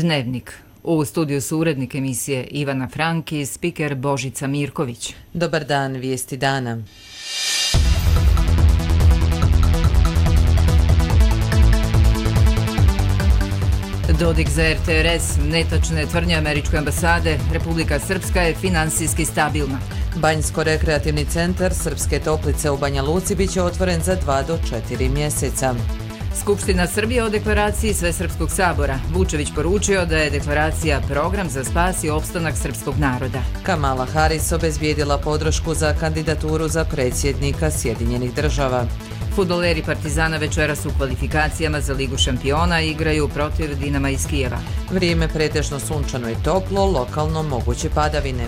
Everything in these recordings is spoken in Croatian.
Dnevnik. U studiju su urednik emisije Ivana Frank i spiker Božica Mirković. Dobar dan, vijesti dana. Dodik za RTRS, netačne tvrdnje američke ambasade, Republika Srpska je finansijski stabilna. Banjsko-rekreativni centar Srpske Toplice u Banja Luci bit će otvoren za 2 do 4 mjeseca. Skupština Srbije o deklaraciji Svesrpskog sabora. Vučević poručio da je deklaracija program za spas i opstanak srpskog naroda. Kamala Harris obezbijedila podršku za kandidaturu za predsjednika Sjedinjenih država. Fudbaleri Partizana večeras u kvalifikacijama za Ligu šampiona igraju protiv Dinama iz Kijeva. Vrijeme pretežno sunčano i toplo, lokalno moguće padavine.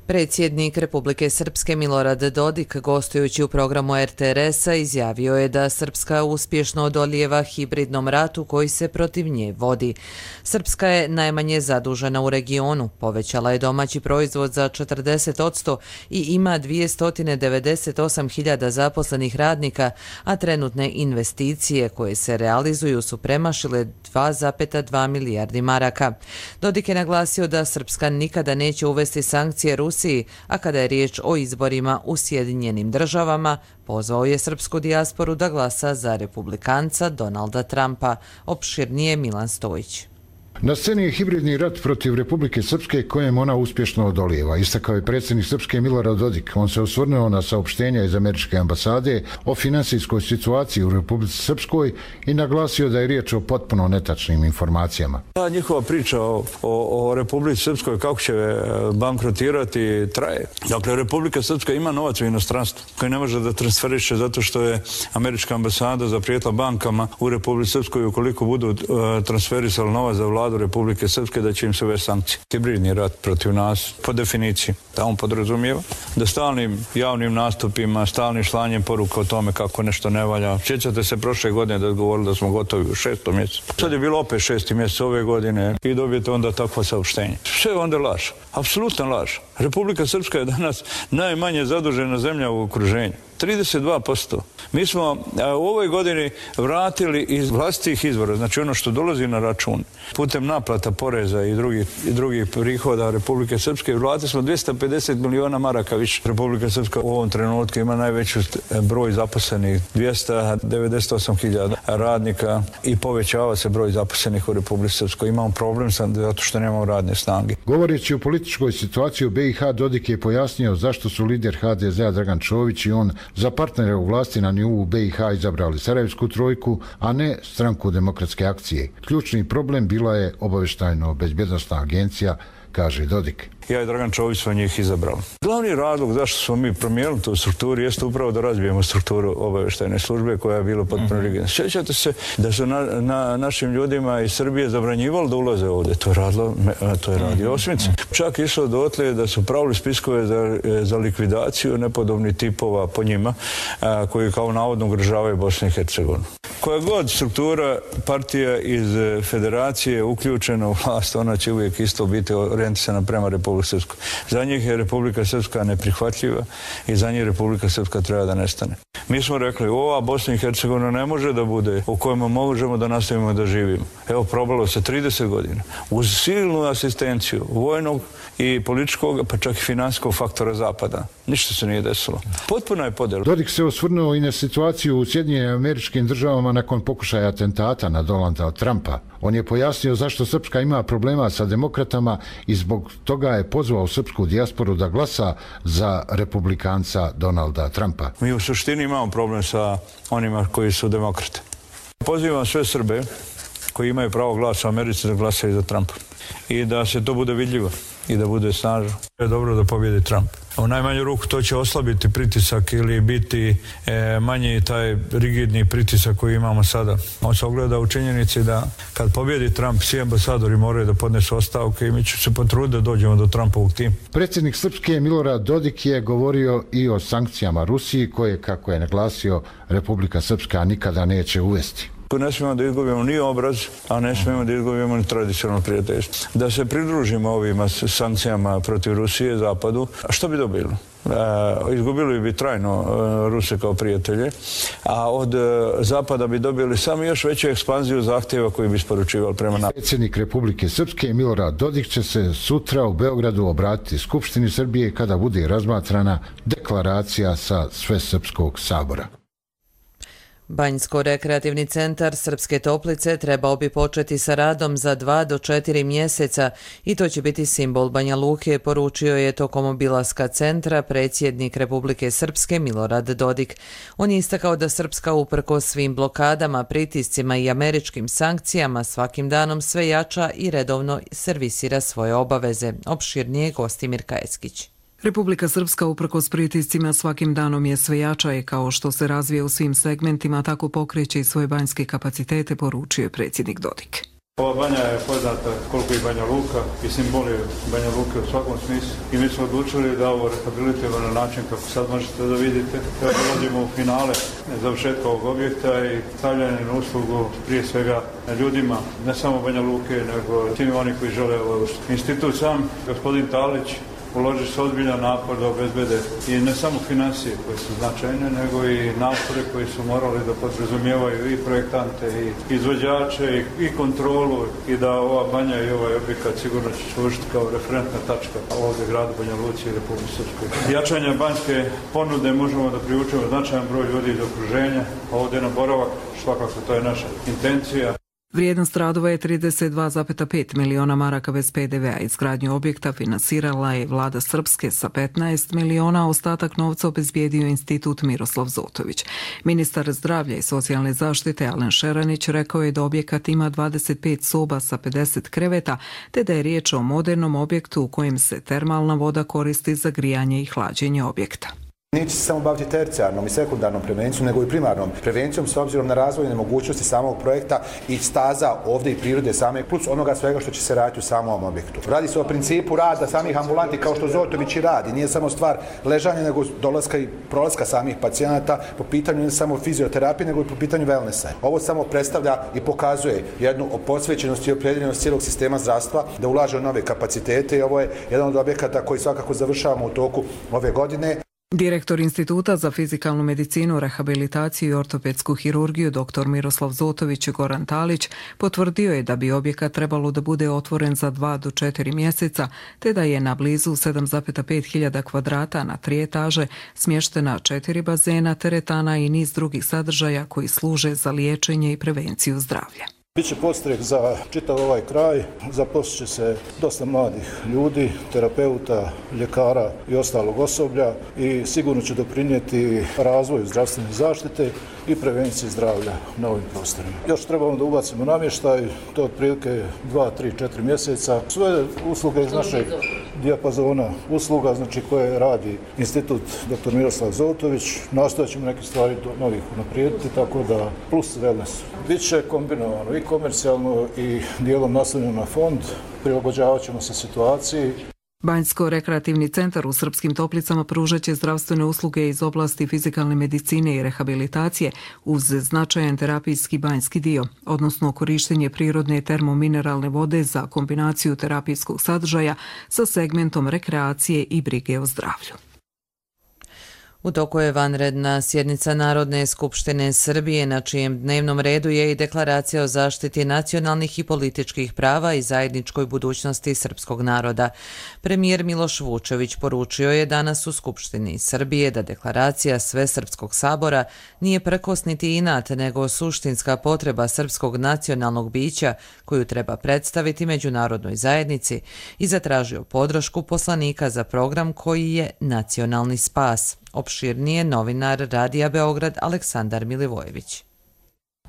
Predsjednik Republike Srpske Milorad Dodik, gostujući u programu RTRS-a, izjavio je da Srpska uspješno odolijeva hibridnom ratu koji se protiv nje vodi. Srpska je najmanje zadužena u regionu, povećala je domaći proizvod za 40% i ima 298.000 zaposlenih radnika, a trenutne investicije koje se realizuju su premašile 2,2 milijardi maraka. Dodik je naglasio da Srpska nikada neće uvesti sankcije Rusiji, a kada je riječ o izborima u Sjedinjenim državama, pozvao je srpsku dijasporu da glasa za republikanca Donalda Trumpa. Opširnije Milan Stojić. Na sceni je hibridni rat protiv Republike Srpske kojem ona uspješno odolijeva, istakao je predsjednik Srpske Milorad Dodik. On se osvrnuo na saopštenja iz američke ambasade o finansijskoj situaciji u Republici Srpskoj i naglasio da je riječ o potpuno netačnim informacijama. Ta njihova priča o Republici Srpskoj, kako će bankrotirati, traje. Dakle, Republika Srpska ima novac u inostranstvu koji ne može da transferiše zato što je američka ambasada zaprijetila bankama u Republici Srpskoj ukoliko budu transferisali novac za vladu Republike Srpske da će im se uvesti sankcije. Hibridni rat protiv nas, po definiciji, da on podrazumijeva da stalnim javnim nastupima, stalnim slanjem poruka o tome kako nešto ne valja. Sjećate se prošle godine da govorili da smo gotovi u 6. mjesecu. Sad je bilo opet 6. mjesec ove godine i dobijete onda takvo saopštenje. Sve onda laž, apsolutno laž. Republika Srpska je danas najmanje zadužena zemlja u okruženju. 32%. Mi smo u ovoj godini vratili iz vlastitih izvora, znači ono što dolazi na račun, putem naplata poreza i drugih prihoda Republike Srpske, vratili smo 250 miliona maraka više. Republika Srpska u ovom trenutku ima najveći broj zaposlenih, 298.000 radnika i povećava se broj zaposlenih u Republici Srpskoj. Imamo problem zato što nemamo radne snage. Govoreći o političkoj situaciji u BiH, Dodik je pojasnio zašto su lider HDZ-a Dragan Čović i on za partnere u vlasti na nivou BiH izabrali Sarajevsku trojku, a ne Stranku demokratske akcije. Ključni problem bila je obavještajno-bezbjednosna agencija, kaže Dodik. Ja i Dragan Čović smo njih izabrali. Glavni razlog zašto smo mi promijenili tu strukturu jeste upravo da razbijemo strukturu obavještajne službe koja je bila potpuno rigidna. Sjećate se da su našim ljudima iz Srbije zabranjivali da ulaze ovdje. To je radio Osmica. Čak išlo dotle da su pravili spiskove za likvidaciju nepodobnih tipova po njima koji kao navodno ugrožavaju Bosnu i Hercegovinu. Koja god struktura partija iz federacije uključena u vlast, ona će uvijek isto biti orijentisana prema Republike Srpskoj. Za njih je Republika Srpska neprihvatljiva i za njih Republika Srpska treba da nestane. Mi smo rekli, ova Bosna i Hercegovina ne može da bude u kojima možemo da nastavimo da živimo. Evo, probalo se 30 godina. Uz silnu asistenciju vojnog i političkog, pa čak i financijskog faktora Zapada. Ništa se nije desilo. Potpuno je podjela. Dodik se osvrnuo i na situaciju u Sjedinjenim Američkim Državama nakon pokušaja atentata na Donalda Trumpa. On je pojasnio zašto Srpska ima problema sa demokratama i zbog toga je pozvao srpsku dijasporu da glasa za republikanca Donalda Trumpa. Mi u suštini imamo problem sa onima koji su demokrate. Pozivam sve Srbe koji imaju pravo glasa u Americi da glasaju za Trumpa i da se to bude vidljivo i da bude snažno. Je dobro da pobjedi Trump. U najmanju ruku to će oslabiti pritisak ili biti manji taj rigidni pritisak koji imamo sada. On se ogleda u činjenici da kad pobjedi Trump, svi ambasadori moraju da podnesu ostavke i mi ćemo se potruditi da dođemo do Trumpovog tima. Predsjednik Srpske Milorad Dodik je govorio i o sankcijama Rusiji koje, kako je naglasio, Republika Srpska nikada neće uvesti. koju ne smijemo da izgubimo ni obraz, a ne smijemo da izgubimo ni tradicionalno prijateljstvo. Da se pridružimo ovim sankcijama protiv Rusije, Zapadu, a što bi dobili? Izgubili bi trajno Ruse kao prijatelje, a od Zapada bi dobili samo još veću ekspanziju zahtjeva koji bi isporučivali prema nama. Predsjednik Republike Srpske Milorad Dodik će se sutra u Beogradu obratiti Skupštini Srbije kada bude razmatrana deklaracija sa Svesrpskog sabora. Banjsko-rekreativni centar Srpske Toplice trebao bi početi sa radom za 2 do 4 mjeseca i to će biti simbol Banja Luke, poručio je tokom obilaska centra predsjednik Republike Srpske Milorad Dodik. On je istakao da Srpska uprkos svim blokadama, pritiscima i američkim sankcijama svakim danom sve jača i redovno servisira svoje obaveze. Opširnije Gostimir Kajeskić. Republika Srpska uprkos pritiscima svakim danom je sve jača i kao što se razvije u svim segmentima, tako pokreće i svoje banjske kapacitete, poručio je predsjednik Dodik. Ova banja je poznata koliko i Banja Luka i simbol je Banja Luke u svakom smislu i mi smo odlučili da ovo rehabilitiramo na način kako sad možete da vidite. Dolazimo u finale završetka ovog objekta i stavljanje na uslugu prije svega ljudima, ne samo Banja Luke, nego svim oni koji žele ovo. Institut sam, gospodin Talić, uloži se ozbiljan napor da obezbede i ne samo financije koje su značajne, nego i napore koji su morali da podrazumijevaju i projektante i izvođače i kontrolu i da ova banja i ovaj objekat sigurno će služiti kao referentna tačka ovdje gradu Banja Luci i Republike Srpskoj. Jačanje banjske ponude možemo da privučemo značajan broj ljudi iz okruženja, ovdje na boravak, svakako to je naša intencija. Vrijednost radova je 32,5 miliona maraka bez PDV-a. Izgradnju objekta finansirala je vlada Srpske sa 15 miliona, a ostatak novca obezbijedio institut Miroslav Zotović. Ministar zdravlja i socijalne zaštite Alen Šeranić rekao je da objekat ima 25 soba sa 50 kreveta, te da je riječ o modernom objektu u kojem se termalna voda koristi za grijanje i hlađenje objekta. Neće se samo baviti tercijarnom i sekundarnom prevencijom, nego i primarnom prevencijom s obzirom na razvojne mogućnosti samog projekta i staza ovdje i prirode same, plus onoga svega što će se raditi u samom objektu. Radi se o principu rada samih ambulanti kao što Zotović i radi. Nije samo stvar ležanja, nego dolaska i prolaska samih pacijenata po pitanju ne samo fizioterapije, nego i po pitanju wellnessa. Ovo samo predstavlja i pokazuje jednu posvećenost i opredjeljenost cijelog sistema zdravstva da ulaže u nove kapacitete i ovo je jedan od objekata koji svakako završavamo u toku ove godine. Direktor Instituta za fizikalnu medicinu, rehabilitaciju i ortopedsku hirurgiju dr. Miroslav Zotović Goran Talić potvrdio je da bi objekat trebalo da bude otvoren za 2 do 4 mjeseca, te da je na blizu 7,5 hiljada kvadrata na 3 etaže smještena 4 bazena, teretana i niz drugih sadržaja koji služe za liječenje i prevenciju zdravlja. Biće podstrek za čitav ovaj kraj, zaposlit će se dosta mladih ljudi, terapeuta, ljekara i ostalog osoblja i sigurno će doprinijeti razvoju zdravstvene zaštite i prevenciji zdravlja na ovim prostorima. Još trebamo da ubacimo namještaj, to je otprilike 2, 3, 4 mjeseca. Sve usluge iz našeg dijapazona usluga, znači koje radi Institut dr. Miroslav Zotović, nastojat ćemo neke stvari do novih unaprijediti, tako da plus wellness. Biće kombinovano i komercijalno i dijelom naslonjeno na fond, prilagođavat ćemo se situaciji. Banjsko-rekreativni centar u Srpskim Toplicama pružat će zdravstvene usluge iz oblasti fizikalne medicine i rehabilitacije uz značajan terapijski banjski dio, odnosno korištenje prirodne termomineralne vode za kombinaciju terapijskog sadržaja sa segmentom rekreacije i brige o zdravlju. U toku je vanredna sjednica Narodne skupštine Srbije, na čijem dnevnom redu je i deklaracija o zaštiti nacionalnih i političkih prava i zajedničkoj budućnosti srpskog naroda. Premijer Miloš Vučević poručio je danas u Skupštini Srbije da deklaracija Svesrpskog sabora nije prkos niti inat, nego suštinska potreba srpskog nacionalnog bića koju treba predstaviti međunarodnoj zajednici i zatražio podršku poslanika za program koji je Nacionalni spas. Opširnije novinar Radija Beograd Aleksandar Milivojević.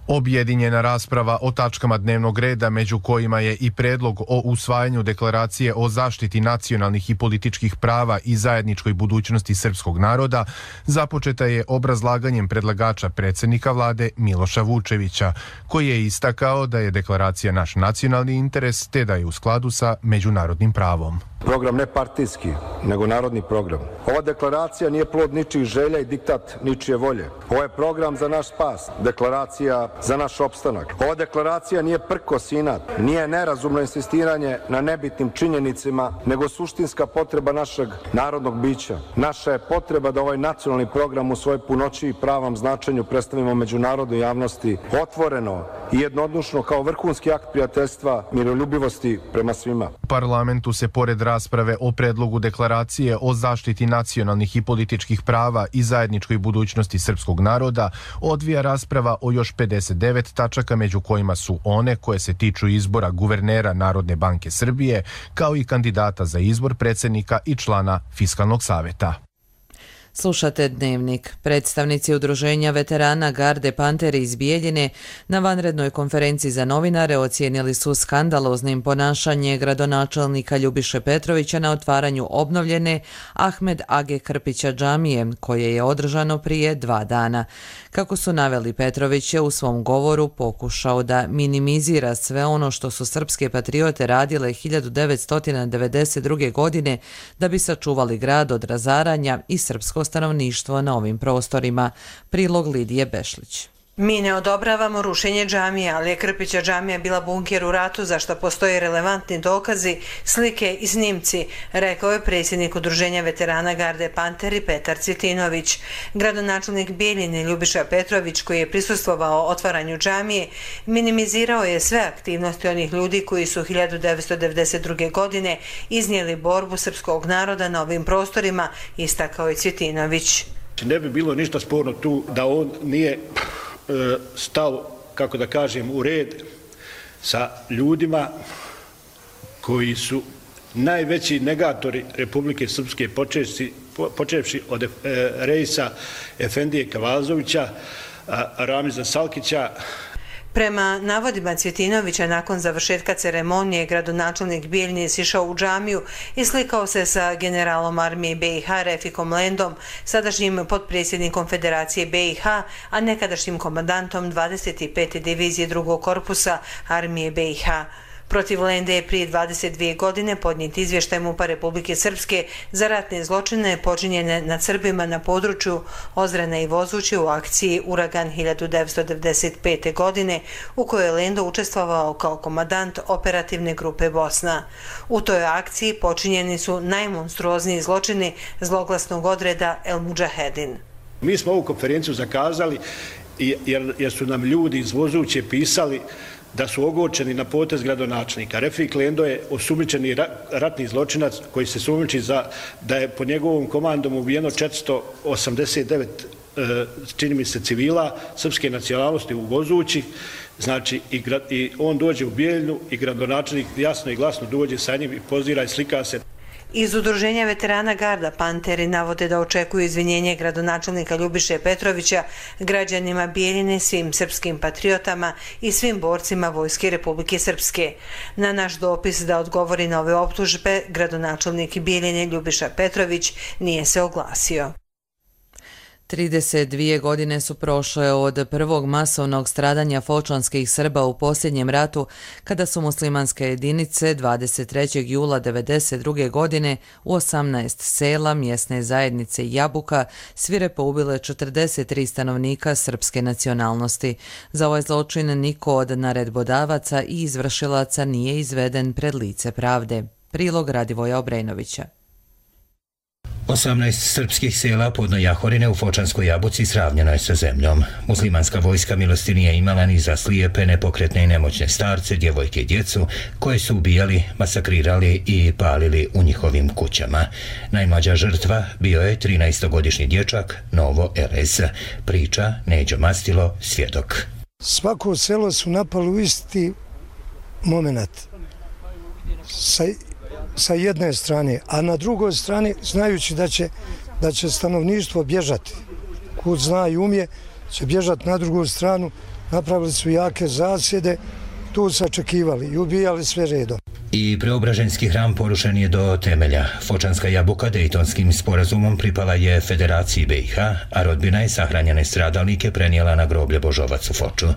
Objedinjena rasprava o tačkama dnevnog reda, među kojima je i predlog o usvajanju deklaracije o zaštiti nacionalnih i političkih prava i zajedničkoj budućnosti srpskog naroda, započeta je obrazlaganjem predlagača predsjednika vlade Miloša Vučevića, koji je istakao da je deklaracija naš nacionalni interes te da je u skladu sa međunarodnim pravom. Program ne partijski, nego narodni program. Ova deklaracija nije plod ničijih želja i diktat ničije volje. Ovo je program za naš spas, deklaracija za naš opstanak. Ova deklaracija nije prkos i inat, nije nerazumno insistiranje na nebitnim činjenicama, nego suštinska potreba našeg narodnog bića. Naša je potreba da ovaj nacionalni program u svojoj punoći i pravom značenju predstavimo međunarodnoj javnosti otvoreno i jednodušno kao vrhunski akt prijateljstva, miroljubivosti prema svima. Parlamentu se pored rasprave o predlogu deklaracije o zaštiti nacionalnih i političkih prava i zajedničkoj budućnosti srpskog naroda odvija rasprava o još 59 tačaka, među kojima su one koje se tiču izbora guvernera Narodne banke Srbije, kao i kandidata za izbor predsjednika i člana Fiskalnog saveta. Slušate Dnevnik. Predstavnici udruženja veterana Garde Panteri iz Bijeljine na vanrednoj konferenciji za novinare ocijenili su skandaloznim ponašanje gradonačelnika Ljubiše Petrovića na otvaranju obnovljene Ahmed Age Krpića džamije, koje je održano prije 2 dana. Kako su naveli, Petrović je u svom govoru pokušao da minimizira sve ono što su srpske patriote radile 1992. godine da bi sačuvali grad od razaranja i srpsko stanovništvo na ovim prostorima. Prilog Lidije Bešlić. Mi ne odobravamo rušenje džamije, ali je Krpića džamija bila bunker u ratu za što postoje relevantni dokazi, slike i snimci, rekao je predsjednik udruženja veterana Garde Panteri Petar Cvitinović. Gradonačelnik Bijeljine Ljubiša Petrović, koji je prisustvovao otvaranju džamije, minimizirao je sve aktivnosti onih ljudi koji su 1992. godine iznijeli borbu srpskog naroda na ovim prostorima, istakao je Cvitinović. Ne bi bilo ništa sporno tu da on nije stao, kako da kažem, u red sa ljudima koji su najveći negatori Republike Srpske, počevši od Rejsa Efendije Kavazovića, Ramiza Salkića. Prema navodima Cvjetinovića, nakon završetka ceremonije, gradonačelnik Bijeljine sišao u džamiju i slikao se sa generalom armije BiH Refikom Lendom, sadašnjim potpredsjednikom Federacije BiH, a nekadašnjim komandantom 25. divizije 2. korpusa armije BiH. Protiv Lende je prije 22 godine podnijet izvještaj MUP-a Republike Srpske za ratne zločine počinjene nad Srbima na području Ozrene i Vozuće u akciji Uragan 1995. godine, u kojoj je Lendo učestvovao kao komandant operativne grupe Bosna. U toj akciji počinjeni su najmonstruozniji zločini zloglasnog odreda El Mudžahedin. Mi smo ovu konferenciju zakazali jer su nam ljudi iz Vozuće pisali da su ogorčeni na potez gradonačelnika. Refik Lendo je osumnjičeni ratni zločinac koji se sumnjiči da je pod njegovom komandom ubijeno 489 čini mi se civila srpske nacionalnosti u Vozući. Znači i on dođe u Bijeljinu i gradonačelnik jasno i glasno dođe sa njim i pozira i slika se. Iz udruženja veterana Garda Panteri navode da očekuju izvinjenje gradonačelnika Ljubiše Petrovića građanima Bijeljine, svim srpskim patriotama i svim borcima Vojske Republike Srpske. Na naš dopis da odgovori na ove optužbe, gradonačelnik Bijeljine Ljubiša Petrović nije se oglasio. 32 godine su prošle od prvog masovnog stradanja fočanskih Srba u posljednjem ratu, kada su muslimanske jedinice 23. jula 1992. godine u 18 sela mjesne zajednice Jabuka svirepo ubile 43 stanovnika srpske nacionalnosti. Za ovaj zločin niko od naredbodavaca i izvršilaca nije izveden pred lice pravde. Prilog Radivoja Obrenovića. 18 srpskih sela podno Jahorine u Fočanskoj Jabuci sravnjeno je sa zemljom. Muslimanska vojska milosti nije imala ni za slijepe, nepokretne i nemoćne starce, djevojke i djecu koje su ubijali, masakrirali i palili u njihovim kućama. Najmlađa žrtva bio je 13-godišnji dječak Novo RS. Priča Neđo Mastilo, svjedok. Svako selo su napali u isti moment. Sa jedne strane, a na drugoj strani znajući da će stanovništvo bježati. Kud zna i umje, će bježati na drugu stranu, napravili su jake zasjede, tu sačekivali i ubijali sve redom. I Preobraženski hram porušen je do temelja. Fočanska Jabuka Dejtonskim sporazumom pripala je Federaciji BiH, a rodbina je sahranjene stradalnike prenijela na groblje Božovac u Foču.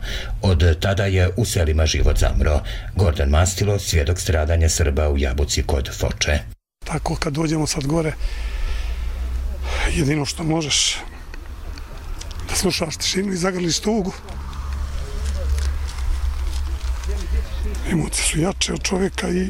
Od tada je u selima život zamro. Gordan Mastilo, svjedok stradanja Srba u Jabuci kod Foče. tako kad dođemo sad gore, jedino što možeš da slušaš tišinu i zagrliš tugu. Emocije su jače od čovjeka i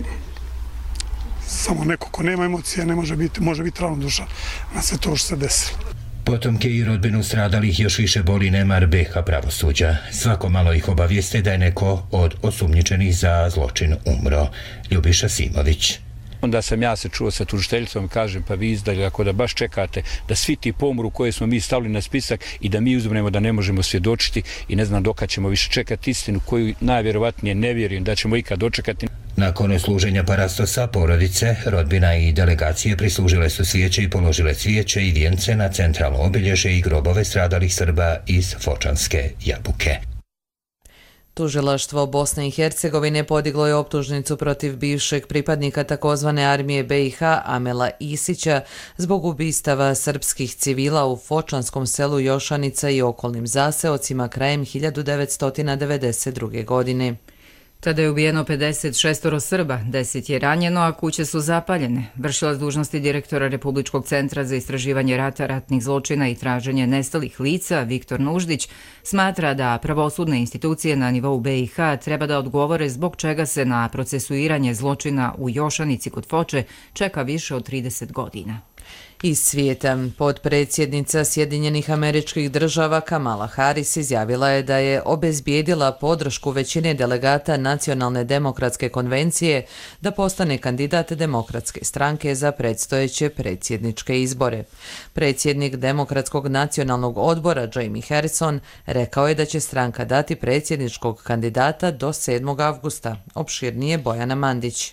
samo neko ko nema emocije ne može biti ravnodušan na sve to što se desilo. Potomke i rodbinu stradalih još više boli nemar BiH pravosuđa. Svako malo ih obavijeste da je neko od osumnjičenih za zločin umro. Ljubiša Simović. Onda sam ja se čuo sa tužiteljicom i kažem pa vi izdali ako da baš čekate da svi ti pomru koje smo mi stavili na spisak i da mi uzmemo da ne možemo svjedočiti i ne znam dokad ćemo više čekati istinu koju najvjerovatnije ne vjerujem da ćemo ikad dočekati. Nakon služenja parastosa, porodice, rodbina i delegacije prislužile su svijeće i položile cvijeće i vijence na centralno obilježje i grobove stradalih Srba iz Fočanske Jabuke. Tužilaštvo Bosne i Hercegovine podiglo je optužnicu protiv bivšeg pripadnika takozvane armije BiH Amela Isića zbog ubistava srpskih civila u Fočanskom selu Jošanica i okolnim zaseocima krajem 1992. godine. Tada je ubijeno 56 Srba, 10 je ranjeno, a kuće su zapaljene. Vršilac dužnosti direktora Republičkog centra za istraživanje rata, ratnih zločina i traženje nestalih lica, Viktor Nuždić, smatra da pravosudne institucije na nivou BiH treba da odgovore zbog čega se na procesuiranje zločina u Jošanici kod Foče čeka više od 30 godina. Iz svijeta, potpredsjednica Sjedinjenih Američkih Država Kamala Harris izjavila je da je obezbijedila podršku većine delegata Nacionalne demokratske konvencije da postane kandidat Demokratske stranke za predstojeće predsjedničke izbore. Predsjednik Demokratskog nacionalnog odbora Jamie Harrison rekao je da će stranka dati predsjedničkog kandidata do 7. avgusta. Opširnije Bojana Mandić.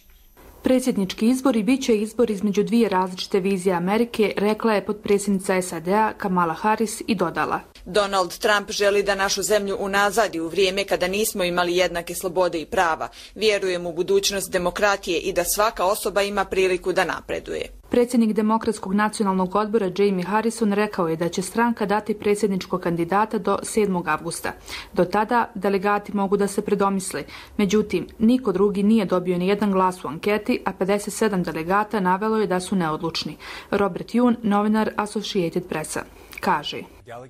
Predsjednički izbori bit će izbor između dvije različite vizije Amerike, rekla je potpredsjednica SAD-a Kamala Harris i dodala. Donald Trump želi da našu zemlju unazadi u vrijeme kada nismo imali jednake slobode i prava. Vjerujem u budućnost demokratije i da svaka osoba ima priliku da napreduje. Predsjednik Demokratskog nacionalnog odbora Jamie Harrison rekao je da će stranka dati predsjedničkog kandidata do 7. avgusta. Do tada delegati mogu da se predomisle. Međutim, niko drugi nije dobio ni jedan glas u anketi, a 57 delegata navelo je da su neodlučni. Robert Yoon, novinar Associated Pressa, kaže: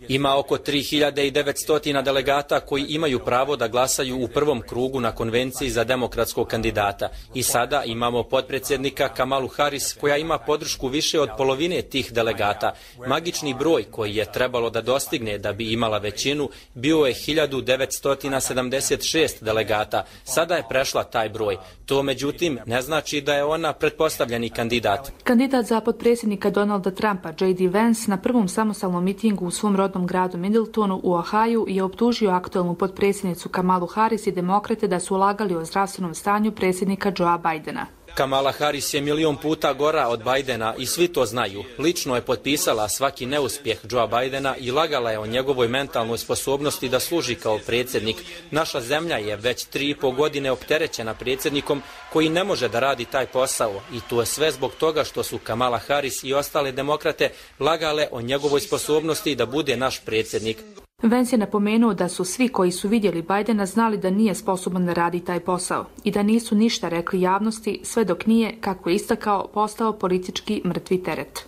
Ima oko 3900 delegata koji imaju pravo da glasaju u prvom krugu na konvenciji za demokratskog kandidata. I sada imamo potpredsjednika Kamalu Harris koja ima podršku više od polovine tih delegata. Magični broj koji je trebalo da dostigne da bi imala većinu bio je 1976 delegata. Sada je prešla taj broj. To međutim ne znači da je ona pretpostavljeni kandidat. Kandidat za potpredsjednika Donalda Trumpa, J.D. Vance, na prvom samostalnom mitingu u svom rodnom gradu Middletonu u Ohaju je optužio aktualnu potpredsjednicu Kamalu Harris i demokrate da su ulagali o zdravstvenom stanju predsjednika Joea Bidena. Kamala Harris je 1.000.000 puta gora od Bidena i svi to znaju. Lično je potpisala svaki neuspjeh Joea Bidena i lagala je o njegovoj mentalnoj sposobnosti da služi kao predsjednik. Naša zemlja je već 3,5 godine opterećena predsjednikom koji ne može da radi taj posao i to je sve zbog toga što su Kamala Harris i ostale demokrate lagale o njegovoj sposobnosti da bude naš predsjednik. Vance je napomenuo da su svi koji su vidjeli Bidena znali da nije sposoban da radi taj posao i da nisu ništa rekli javnosti sve dok nije, kako je istakao, postao politički mrtvi teret.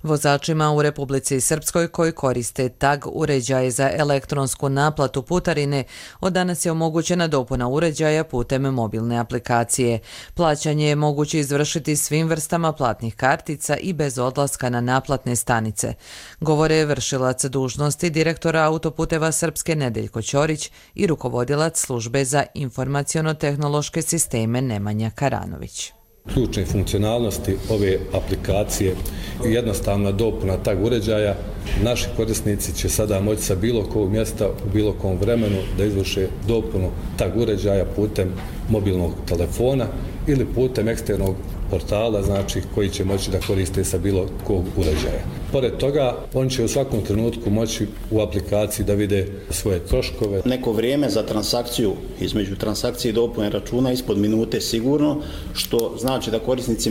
Vozačima u Republici Srpskoj koji koriste tag uređaje za elektronsku naplatu putarine od danas je omogućena dopuna uređaja putem mobilne aplikacije. Plaćanje je moguće izvršiti svim vrstama platnih kartica i bez odlaska na naplatne stanice. Govore vršilac dužnosti direktora Autoputeva Srpske Nedeljko Ćorić i rukovodilac službe za informaciono-tehnološke sisteme Nemanja Karanović. Ključne funkcionalnosti ove aplikacije i jednostavna dopuna tag uređaja. Naši korisnici će sada moći sa bilo kog mjesta u bilo kom vremenu da izvrše dopunu tag uređaja putem mobilnog telefona ili putem eksternog portala, znači koji će moći da koriste sa bilo kog uređaja. Pored toga, on će u svakom trenutku moći u aplikaciji da vide svoje troškove. Neko vrijeme za transakciju, između transakcije i dopune računa ispod minute sigurno, što znači da korisnici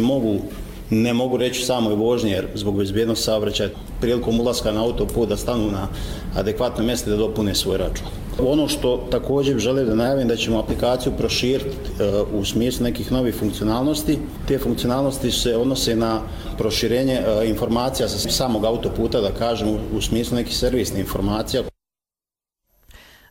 ne mogu reći samoj vožnji jer zbog bezbjednosti saobraćaja prilikom ulaska na autoput da stanu na adekvatno mjesto da dopune svoj račun. Ono što također želim da najavim da ćemo aplikaciju proširiti u smislu nekih novih funkcionalnosti. Te funkcionalnosti se odnose na proširenje informacija sa samog autoputa, da kažem, u smislu nekih servisnih informacija.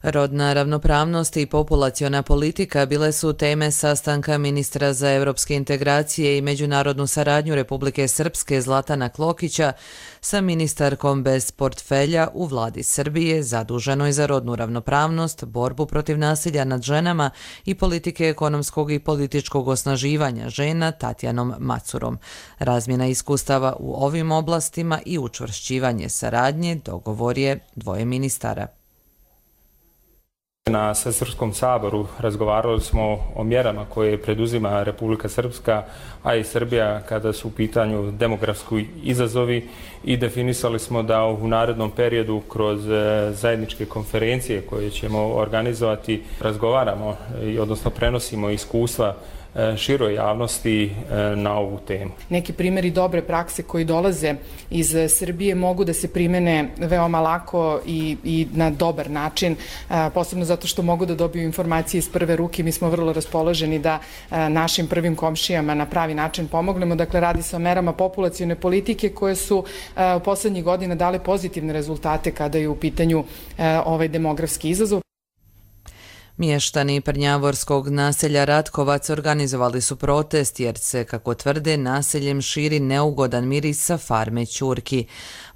Rodna ravnopravnost i populaciona politika bile su teme sastanka ministra za evropske integracije i međunarodnu saradnju Republike Srpske Zlatana Klokića sa ministarkom bez portfelja u vladi Srbije zaduženoj za rodnu ravnopravnost, borbu protiv nasilja nad ženama i politike ekonomskog i političkog osnaživanja žena Tatjanom Macurom. Razmjena iskustava u ovim oblastima i učvršćivanje saradnje dogovor je dvoje ministara. Na Svesrpskom saboru razgovarali smo o mjerama koje preduzima Republika Srpska, a i Srbija kada su u pitanju demografski izazovi i definisali smo da u narednom periodu kroz zajedničke konferencije koje ćemo organizovati razgovaramo, odnosno prenosimo iskustva široj javnosti na ovu temu. Neki primjeri dobre prakse koji dolaze iz Srbije mogu da se primene veoma lako i na dobar način, posebno zato što mogu da dobiju informacije iz prve ruke. Mi smo vrlo raspoloženi da našim prvim komšijama na pravi način pomognemo. Dakle, radi se o merama populacione politike koje su u poslednjih godina dale pozitivne rezultate kada je u pitanju ovaj demografski izazov. Mještani Prnjavorskog naselja Ratkovac organizovali su protest jer se, kako tvrde, naseljem širi neugodan miris sa farme ćurki.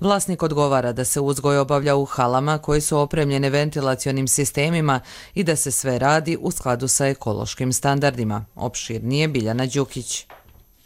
Vlasnik odgovara da se uzgoj obavlja u halama koje su opremljene ventilacionim sistemima i da se sve radi u skladu sa ekološkim standardima. Opširnije Biljana Đukić.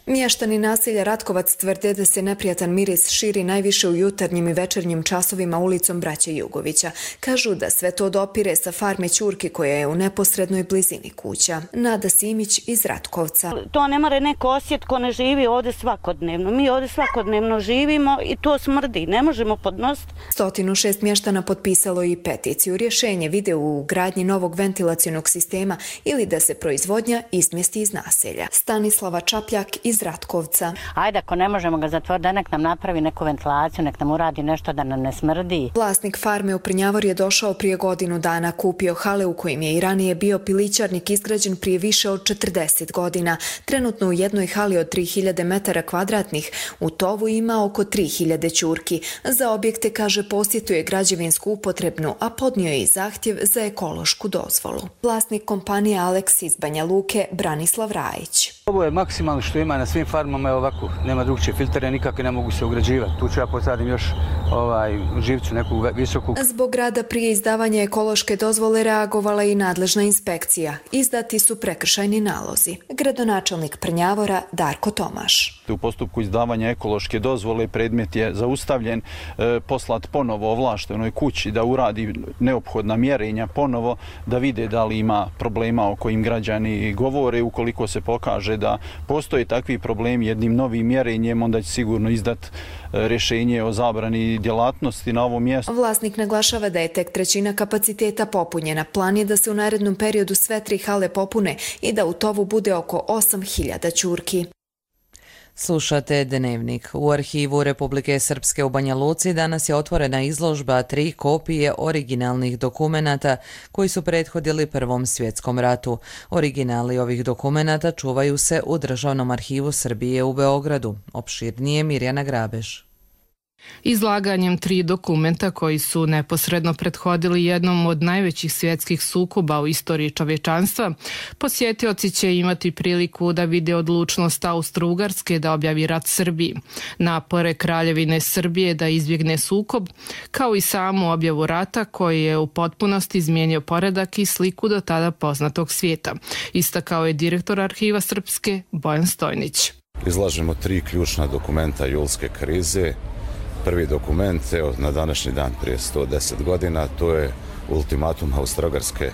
Mještani naselja Ratkovac tvrde da se neprijatan miris širi najviše u jutarnjim i večernjim časovima ulicom Braće Jugovića. Kažu da sve to dopire sa farme ćurki koja je u neposrednoj blizini kuća. Nada Simić iz Ratkovca. To ne more neko osjet ko ne živi ovdje svakodnevno. Mi ovdje svakodnevno živimo i to smrdi. Ne možemo podnositi. 106 mještana potpisalo i peticiju. Rješenje vide u gradnji novog ventilacionog sistema ili da se proizvodnja izmjesti iz naselja. Stanislava Čapljak iz Ratkovca. Ajde, ako ne možemo ga zatvoriti, da nek nam napravi neku ventilaciju, nek nam uradi nešto da nam ne smrdi. Vlasnik farme u Prnjavor je došao prije godinu dana, kupio hale u kojim je i ranije bio pilićarnik izgrađen prije više od 40 godina. Trenutno u jednoj hali od 3000 metara kvadratnih u tovu ima oko 3000 ćurki. Za objekte, kaže, posjetuje građevinsku upotrebnu, a podnio je i zahtjev za ekološku dozvolu. Vlasnik kompanije Alex iz Banja Luke, Branislav Rajić. Ovo je maksimalno što ima na svim farmama, je ovako, nema drugčije filtere, nikakve ne mogu se ugrađivati. Tu ću ja posadim još živcu, neku visoku. Zbog rada prije izdavanja ekološke dozvole reagovala i nadležna inspekcija. Izdati su prekršajni nalozi. Gradonačelnik Prnjavora Darko Tomaš. U postupku izdavanja ekološke dozvole predmet je zaustavljen, poslat ponovo ovlaštenoj kući da uradi neophodna mjerenja ponovo, da vide da li ima problema o kojim građani govore. Ukoliko se pokaže da postoje takvi problemi, jednim novim mjerenjem onda će sigurno izdati rješenje o zabrani djelatnosti na ovom mjestu. Vlasnik naglašava da je tek trećina kapaciteta popunjena. Plan je da se u narednom periodu sve 3 hale popune i da u tovu bude oko 8000 ćurki. Slušate Dnevnik. U arhivu Republike Srpske u Banja Luci danas je otvorena izložba 3 kopije originalnih dokumenata koji su prethodili Prvom svjetskom ratu. Originali ovih dokumenata čuvaju se u Državnom arhivu Srbije u Beogradu. Opširnije Mirjana Grabež. Izlaganjem 3 dokumenta koji su neposredno prethodili jednom od najvećih svjetskih sukoba u istoriji čovječanstva, posjetioci će imati priliku da vide odlučnost Austro-Ugarske da objavi rat Srbiji, napore Kraljevine Srbije da izbjegne sukob, kao i samu objavu rata koji je u potpunosti izmijenio poredak i sliku do tada poznatog svijeta, istakao je direktor Arhiva Srpske Bojan Stojnić. Izlažemo 3 ključna dokumenta julske krize. Prvi dokument, evo, na današnji dan prije 110 godina, to je ultimatum Austro-Ugarske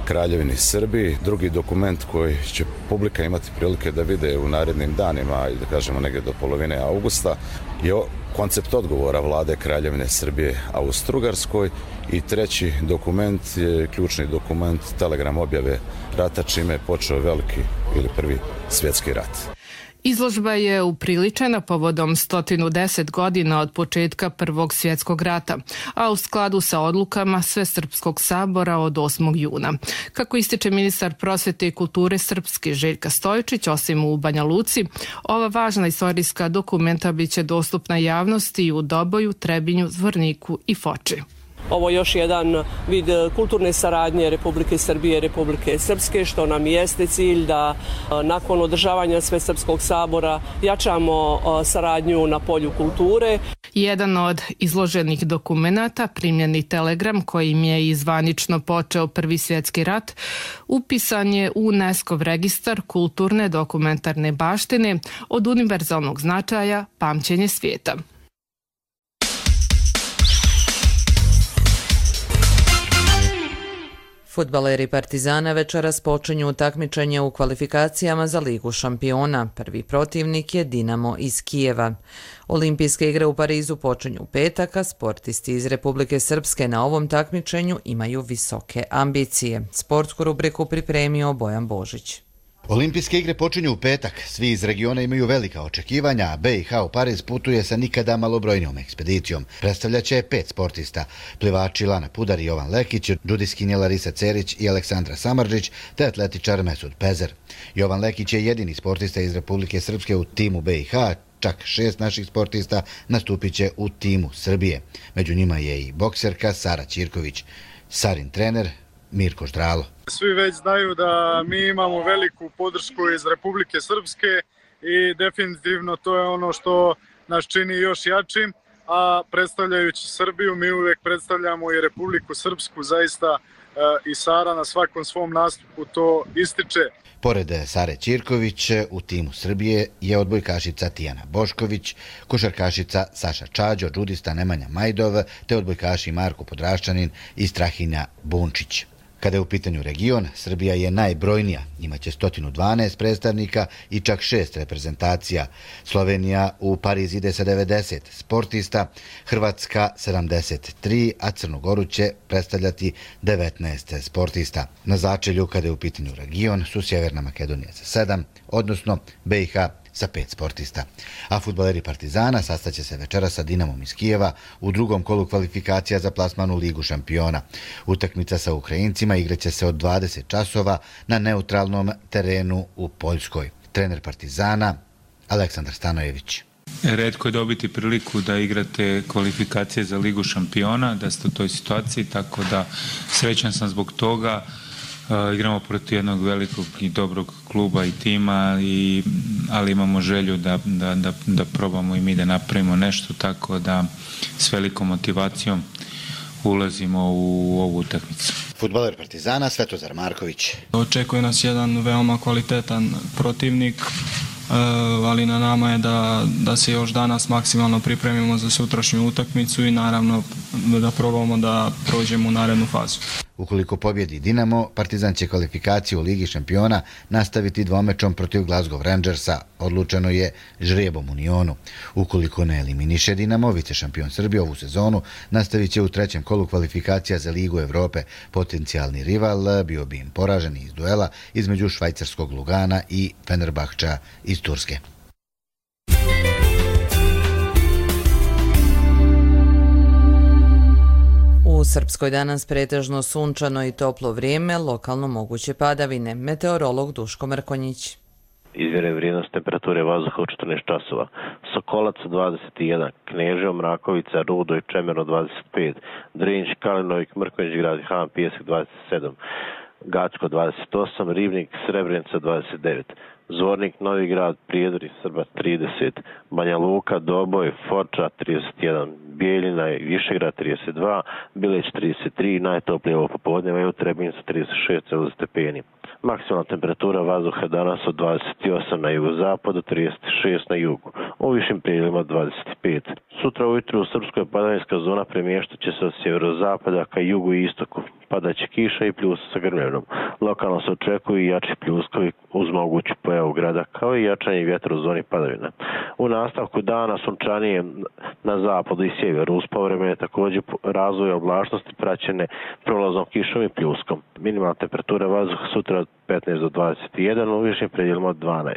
Kraljevini Srbiji. Drugi dokument koji će publika imati prilike da vide u narednim danima, da kažemo negdje do polovine augusta, je koncept odgovora vlade Kraljevine Srbije Austro-Ugarskoj. I treći dokument je ključni dokument, telegram objave rata, čime je počeo veliki ili Prvi svjetski rat. Izložba je upriličena povodom 110 godina od početka Prvog svjetskog rata, a u skladu sa odlukama Svesrpskog sabora od 8. juna. Kako ističe ministar prosvete i kulture Srpske Željka Stojičić, osim u Banja Luci, ova važna istorijska dokumenta biće dostupna javnosti u Doboju, Trebinju, Zvorniku i Foči. Ovo je još jedan vid kulturne saradnje Republike Srbije i Republike Srpske, što nam jeste cilj da nakon održavanja Svesrpskog sabora jačamo saradnju na polju kulture. Jedan od izloženih dokumenata, primljeni telegram kojim je izvanično počeo Prvi svjetski rat, upisan je u UNESCO registar kulturne dokumentarne baštine od univerzalnog značaja pamćenje svijeta. Fudbaleri Partizana večeras počinju takmičenje u kvalifikacijama za Ligu šampiona. Prvi protivnik je Dinamo iz Kijeva. Olimpijske igre u Parizu počinju u petak, a sportisti iz Republike Srpske na ovom takmičenju imaju visoke ambicije. Sportsku rubriku pripremio Bojan Božić. Olimpijske igre počinju u petak. Svi iz regiona imaju velika očekivanja, a BiH u Pariz putuje sa nikada malobrojnijom ekspedicijom. Predstavljaće 5 sportista. Plivači Lana Pudar i Jovan Lekić, džudiskinje Larisa Cerić i Aleksandra Samardžić, te atletičar Mesud Pezer. Jovan Lekić je jedini sportista iz Republike Srpske u timu BiH, čak 6 naših sportista nastupit će u timu Srbije. Među njima je i bokserka Sara Ćirković. Sarin trener Mirko Ždralo. Svi već znaju da mi imamo veliku podršku iz Republike Srpske i definitivno to je ono što nas čini još jačim, a predstavljajući Srbiju mi uvijek predstavljamo i Republiku Srpsku, zaista i Sara na svakom svom nastupu to ističe. Pored Sare Ćirković, u timu Srbije je odbojkašica Tijana Bošković, košarkašica Saša Čađo, džudista Nemanja Majdov, te odbojkaši Marko Podraščanin i Strahinja Bunčić. Kada je u pitanju region, Srbija je najbrojnija, imaće 112 predstavnika i čak 6 reprezentacija. Slovenija u Pariz ide sa 90 sportista, Hrvatska 73, a Crnu Goru će predstavljati 19 sportista. Na začelju, kada je u pitanju region, su Sjeverna Makedonija sa 7, odnosno BiH sa 5 sportista. A fudbaleri Partizana sastaće se večera sa Dinamom iz Kijeva u drugom kolu kvalifikacija za plasman u Ligu šampiona. Utakmica sa Ukrajincima igraće se od 20 časova na neutralnom terenu u Poljskoj. Trener Partizana Aleksandar Stanojević. Retko je dobiti priliku da igrate kvalifikacije za Ligu šampiona, da ste u toj situaciji, tako da srećan sam zbog toga. Igramo protiv jednog velikog i dobrog kluba i tima, ali imamo želju da probamo i mi da napravimo nešto, tako da s velikom motivacijom ulazimo u ovu utakmicu. Fudbaler Partizana Svetozar Marković. Očekuje nas jedan veoma kvalitetan protivnik, ali na nama je da se još danas maksimalno pripremimo za sutrašnju utakmicu i naravno da probamo da prođemo u narednu fazu. Ukoliko pobjedi Dinamo, Partizan će kvalifikaciju u Ligi šampiona nastaviti dvomečom protiv Glasgow Rangersa, odlučeno je žrebom u Unionu. Ukoliko ne eliminiše Dinamo, vice šampion Srbije ovu sezonu nastavit će u trećem kolu kvalifikacija za Ligu Evrope. Potencijalni rival bio bi im poražen iz duela između švajcarskog Lugana i Fenerbahča iz Turske. U Srpskoj danas pretežno sunčano i toplo vrijeme, lokalno moguće padavine. Meteorolog Duško Mrkonjić. Izmjere vrijednost temperature vazduha u 14 časova. Sokolac 21, Kneževo, Mrakovica, Rudo i Čemerno 25, Drinć, Kalinovik, Mrkonjić, Grad Han, Pijesak 27, Gacko 28, Ribnik, Srebrenica 29, Zvornik, Novi Grad, Prijedor i Srba 30, Banja Luka, Doboj, Foča 31, Bijeljina i Višegrad 32, Bileć 33, najtoplije ovo popodne, u Trebinju 36 stepeni. Maksimalna temperatura vazduha danas od 28 na jugozapadu, 36 na jugu, u višim prijelima 25. Sutra ujutru u Srpskoj padavinska zona premještat će se od sjeverozapada ka jugu i istoku. padaće kiša i pljuska sa grmljevinom. Lokalno se očekuju i jači pljuskovi uz moguću pojavu grada, kao i jačanje vjetra u zoni padavina. U nastavku dana sunčanije na zapadu i sjeveru uz povremene također razvoje oblačnosti praćene prolazom kišom i pljuskom. Minimalna temperatura vazduha sutra od 15 do 21, u višim predjelima od 12.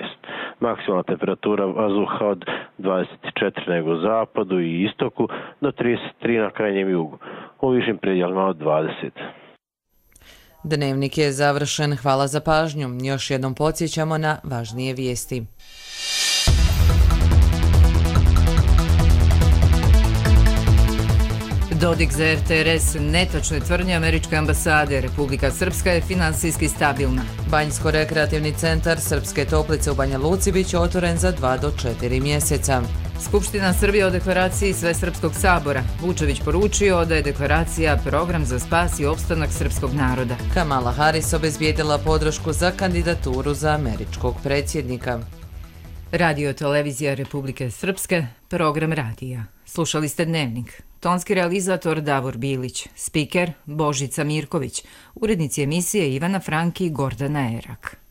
Maksimalna temperatura vazduha od 24 na jugozapadu i istoku do 33 na krajnjem jugu, u višim predjelima od 20. Dnevnik je završen. Hvala za pažnju. Još jednom podsjećamo na važnije vijesti. Dodik za RTRS, netočne tvrdnje američke ambasade, Republika Srpska je finansijski stabilna. Banjsko-rekreativni centar Srpske Toplice u Banja Luci biće otvoren za 2 do 4 mjeseca. Skupština Srbije o deklaraciji Svesrpskog sabora. Vučević poručio da je deklaracija program za spas i opstanak srpskog naroda. Kamala Harris obezbijedila podršku za kandidaturu za američkog predsjednika. Radio televizija Republike Srpske, program radija. Slušali ste Dnevnik. Tonski realizator Davor Bilić, spiker Božica Mirković, urednici emisije Ivana Franki i Gordana Erak.